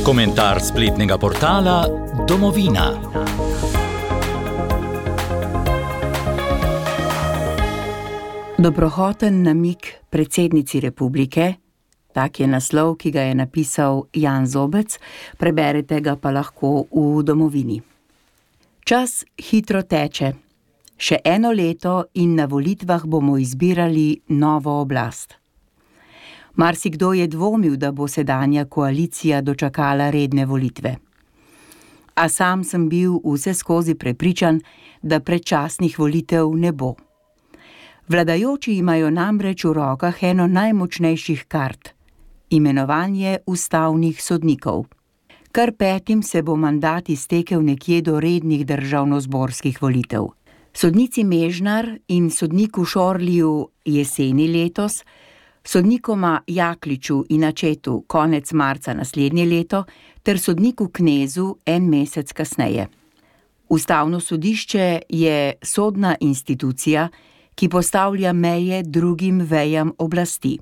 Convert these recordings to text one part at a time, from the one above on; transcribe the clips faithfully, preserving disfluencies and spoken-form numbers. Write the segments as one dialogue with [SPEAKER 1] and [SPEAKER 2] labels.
[SPEAKER 1] Komentar spletnega portala Domovina.
[SPEAKER 2] Dobrohoten namig predsednici republike, tak je naslov, ki ga je napisal Jan Zobec, preberete ga pa lahko v Domovini. Čas hitro teče. Še eno leto in na volitvah bomo izbirali novo oblast. Marsikdo je dvomil, da bo sedanja koalicija dočakala redne volitve. A sam sem bil vseskozi prepričan, da predčasnih volitev ne bo. Vladajoči imajo namreč v rokah eno najmočnejših kart, imenovanje ustavnih sodnikov. Kar petim se bo mandat iztekel nekje do rednih državnozborskih volitev. Sodnici Mežnar in sodniku Šorliju jeseni letos, sodnikoma Jakliču in Accettu konec marca naslednje leto ter sodniku Knezu en mesec kasneje. Ustavno sodišče je sodna institucija, ki postavlja meje drugim vejam oblasti.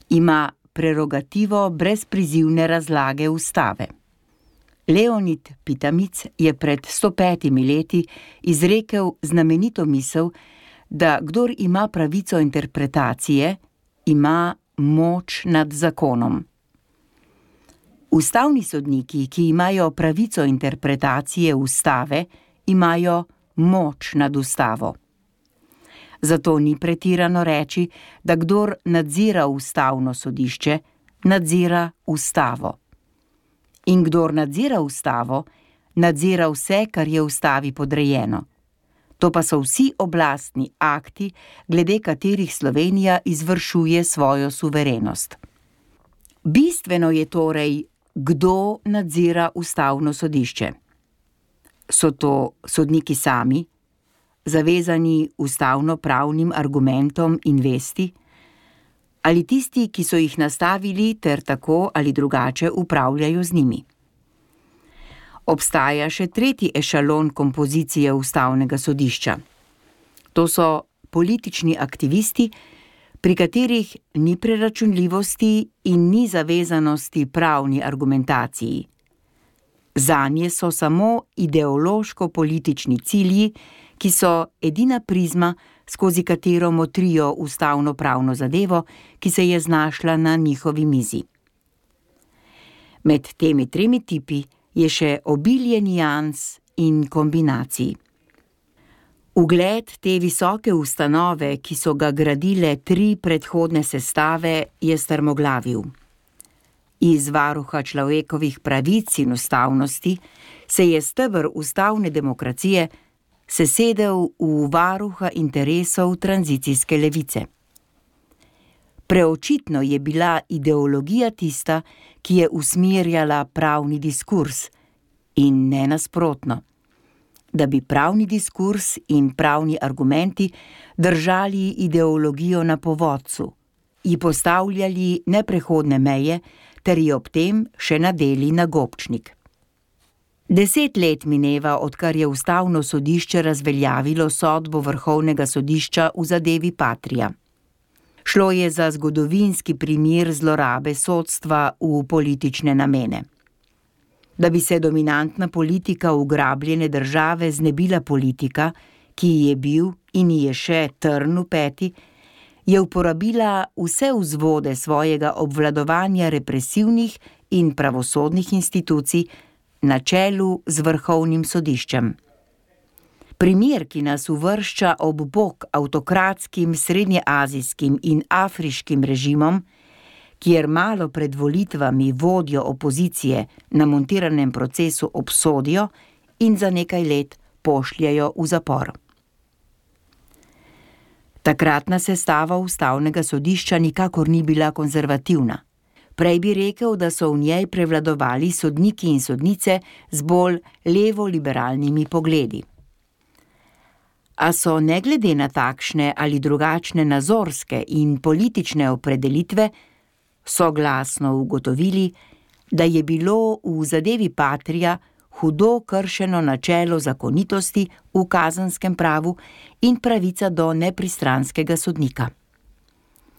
[SPEAKER 2] Ima prerogativo brezprizivne razlage ustave. Leonid Pitamic je pred sto petimi leti izrekel znamenito misel, da kdor ima pravico interpretacije, ima moč nad zakonom. Ustavni sodniki, ki imajo pravico interpretacije ustave, imajo moč nad ustavo. Zato ni pretirano reči, da kdor nadzira ustavno sodišče, nadzira ustavo. In kdor nadzira ustavo, nadzira vse, kar je ustavi podrejeno. To pa so vsi oblastni akti, glede katerih Slovenija izvršuje svojo suverenost. Bistveno je torej, kdo nadzira ustavno sodišče. So to sodniki sami, zavezani ustavno-pravnim argumentom in vesti, ali tisti, ki so jih nastavili ter tako ali drugače upravljajo z njimi. Obstaja še tretji ešalon kompozicije ustavnega sodišča. To so politični aktivisti, pri katerih ni preračunljivosti in ni zavezanosti pravni argumentaciji. Zanje so samo ideološko-politični cilji, ki so edina prizma, skozi katero motrijo ustavno-pravno zadevo, ki se je znašla na njihovi mizi. Med temi tremi tipi je še obilje nijans in kombinacij. Ugled te visoke ustanove, ki so ga gradile tri predhodne sestave, je strmoglavil. Iz varuha človekovih pravic in ustavnosti se je steber ustavne demokracije sesedel v varuha interesov tranzicijske levice. Preočitno je bila ideologija tista, ki je usmerjala pravni diskurs, in ne nasprotno. Da bi pravni diskurs in pravni argumenti držali ideologijo na povodcu, ji postavljali neprehodne meje ter ji ob tem še nadeli na gobčnik. Deset let mineva, odkar je ustavno sodišče razveljavilo sodbo vrhovnega sodišča v zadevi Patria. Šlo je za zgodovinski primer zlorabe sodstva v politične namene. Da bi se dominantna politika ugrabljene države znebila politika, ki je bil in je še trn v peti, je uporabila vse vzvode svojega obvladovanja represivnih in pravosodnih institucij na čelu z vrhovnim sodiščem. Primer, ki nas uvršča ob bok avtokratskim srednjeazijskim in afriškim režimom, kjer malo pred volitvami vodjo opozicije na montiranem procesu obsodijo in za nekaj let pošljajo v zapor. Takratna sestava ustavnega sodišča nikakor ni bila konzervativna. Prej bi rekel, da so v njej prevladovali sodniki in sodnice z bolj levo-liberalnimi pogledi. A so ne glede na takšne ali drugačne nazorske in politične opredelitve soglasno ugotovili, da je bilo v zadevi Patria hudo kršeno načelo zakonitosti v kazenskem pravu in pravica do nepristranskega sodnika.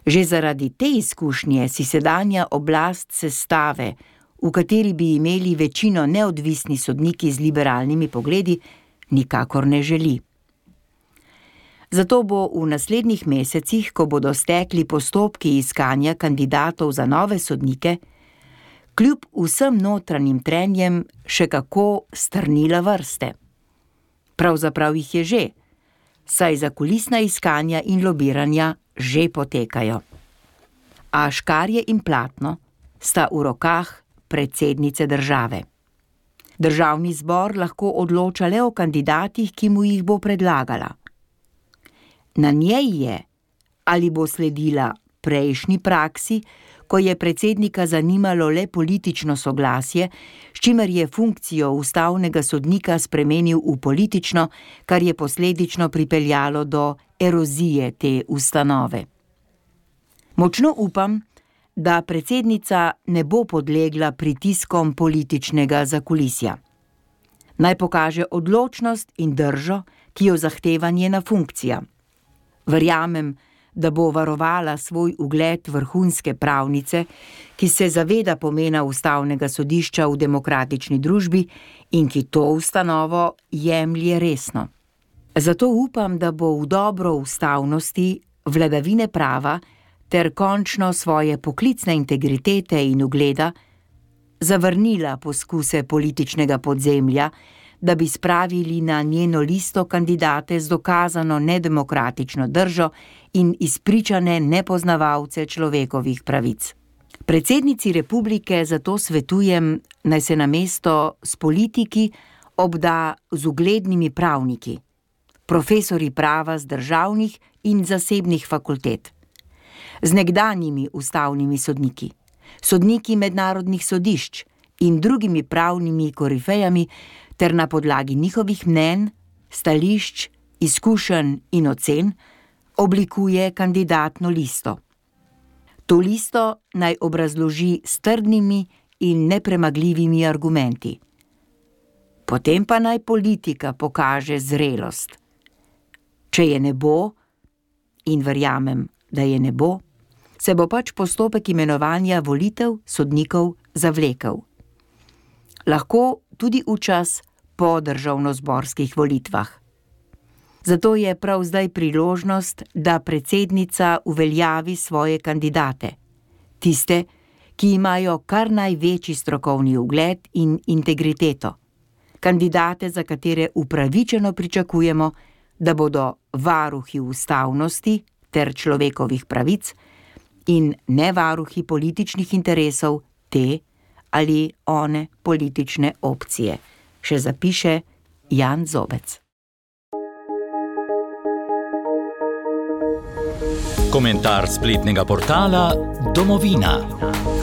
[SPEAKER 2] Že zaradi te izkušnje si sedanja oblast sestave v kateri bi imeli večino neodvisni sodniki z liberalnimi pogledi, nikakor ne želi. Zato bo v naslednjih mesecih, ko bodo stekli postopki iskanja kandidatov za nove sodnike, kljub vsem notranjim trenjem še kako strnila vrste. Pravzaprav jih je že, saj zakulisna iskanja in lobiranja že potekajo. A škarje in platno sta v rokah predsednice države. Državni zbor lahko odloča le o kandidatih, ki mu jih bo predlagala. Na njej je, ali bo sledila prejšnji praksi, ko je predsednika zanimalo le politično soglasje, s čimer je funkcijo ustavnega sodnika spremenil v politično, kar je posledično pripeljalo do erozije te ustanove. Močno upam, da predsednica ne bo podlegla pritiskom političnega zakulisja. Naj pokaže odločnost in držo, ki jo zahteva njena funkcija. Verjamem, da bo varovala svoj ugled vrhunske pravnice, ki se zaveda pomena ustavnega sodišča v demokratični družbi in ki to ustanovo jemlje resno. Zato upam, da bo v dobro ustavnosti, vladavine prava ter končno svoje poklicne integritete in ugleda zavrnila poskuse političnega podzemlja, da bi spravili na njeno listo kandidate z dokazano nedemokratično držo in izpričane nepoznavalce človekovih pravic. Predsednici republike zato svetujem, naj se namesto s politiki obda z uglednimi pravniki, profesorji prava z državnih in zasebnih fakultet, z nekdanjimi ustavnimi sodniki, sodniki mednarodnih sodišč in drugimi pravnimi korifejami ter na podlagi njihovih mnenj, stališč, izkušenj in ocen oblikuje kandidatno listo. To listo naj obrazloži s trdnimi in nepremagljivimi argumenti. Potem pa naj politika pokaže zrelost. Če je ne bo, in verjamem, da je ne bo, se bo pač postopek imenovanja volitev sodnikov zavlekel. Lahko tudi v čas po državnozborskih volitvah. Zato je prav zdaj priložnost, da predsednica uveljavi svoje kandidate, tiste, ki imajo kar največji strokovni ugled in integriteto, kandidate, za katere upravičeno pričakujemo, da bodo varuhi ustavnosti ter človekovih pravic in ne varuhi političnih interesov te ali one politične opcije, še zapiše Jan Zobec.
[SPEAKER 1] Komentar spletnega portala Domovina.